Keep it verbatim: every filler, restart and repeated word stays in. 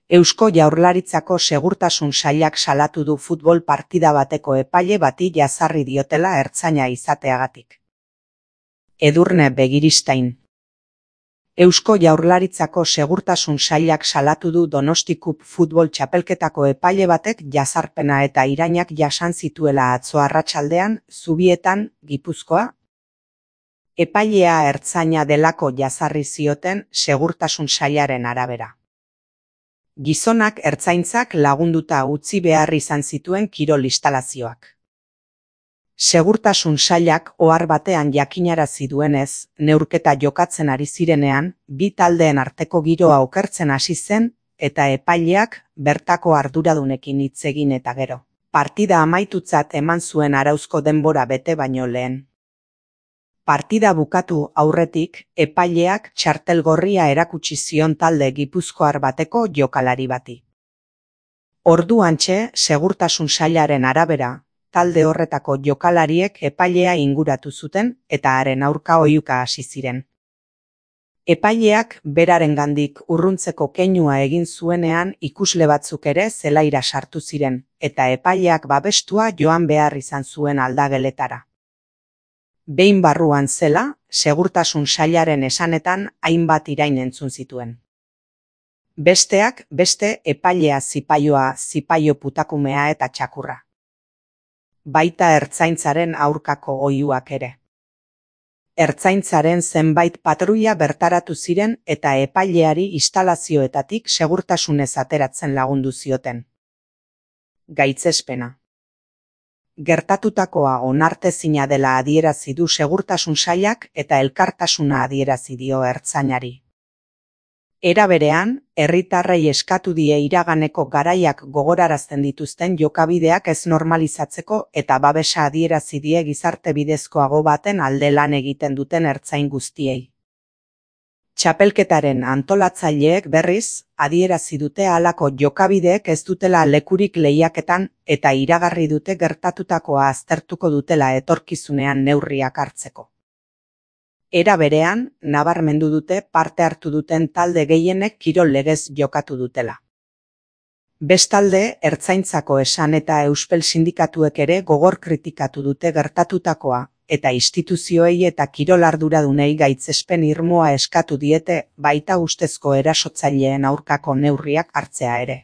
Eusko Jaurlaritzako Segurtasun Sailak salatu du futbol partida bateko epaile bati jazarri diotela ertzaina izateagatik. Edurne Begiristain. Eusko Jaurlaritzako Segurtasun Sailak salatu du Donostikub futbol txapelketako epaile batek jazarpena eta irainak jasan zituela atzo arratsaldean, Zubietan, Gipuzkoa. Epailea ertzaina delako jazarri zioten Segurtasun Sailaren arabera. Gizonak ertzaintzak lagunduta utzi behar izan zituen kirol instalazioak. Segurtasun Sailak ohar batean jakinarazi duenez, neurketa jokatzen ari zirenean, bi taldeen arteko giroa okertzen hasi zen, eta epaileak bertako arduradunekin hitz egin eta gero. Partida amaitutzat eman zuen arauzko denbora bete baino lehen. Partida bukatu aurretik, epaileak txartel gorria erakutsi zion talde gipuzkoar bateko jokalari bati. Orduantxe, Segurtasun Sailaren arabera, talde horretako jokalariek epailea inguratu zuten eta haren aurka oihuka hasi ziren. Epaileak berarengandik urruntzeko keinua egin zuenean ikusle batzuk ere zelaira sartu ziren, eta epaileak babestua joan behar izan zuen aldageletara. Behin barruan zela, Segurtasun Sailaren esanetan hainbat irain entzun zituen. Besteak beste epailea zipaioa, zipaio putakumea eta txakurra. Baita ertzaintzaren aurkako oihuak ere. Ertzaintzaren zenbait patruila bertaratu ziren eta epaileari instalazioetatik segurtasunez ateratzen lagundu zioten. Gaitzespena. Gertatutakoa onartezina dela adierazi du Segurtasun Sailak eta elkartasuna adierazi dio ertzainari. Era berean, herritarrei eskatu die iraganeko garaiak gogorarazten dituzten jokabideak ez normalizatzeko eta babesa adierazi die gizarte bidezkoago baten alde lan egiten duten ertzain guztiei. Txapelketaren antolatzaileek berriz, adierazi dute halako jokabideek ez dutela lekurik lehiaketan eta iragarri dute gertatutakoa aztertuko dutela etorkizunean neurriak hartzeko. Era berean, nabarmendu dute parte hartu duten talde gehienek kirol legez jokatu dutela. Bestalde, ertzaintzako esan eta Euspel sindikatuek ere gogor kritikatu dute gertatutakoa, eta instituzioei eta kirol arduradunei gaitzespen irmoa eskatu diete, baita ustezko erasotzaileen aurkako neurriak hartzea ere.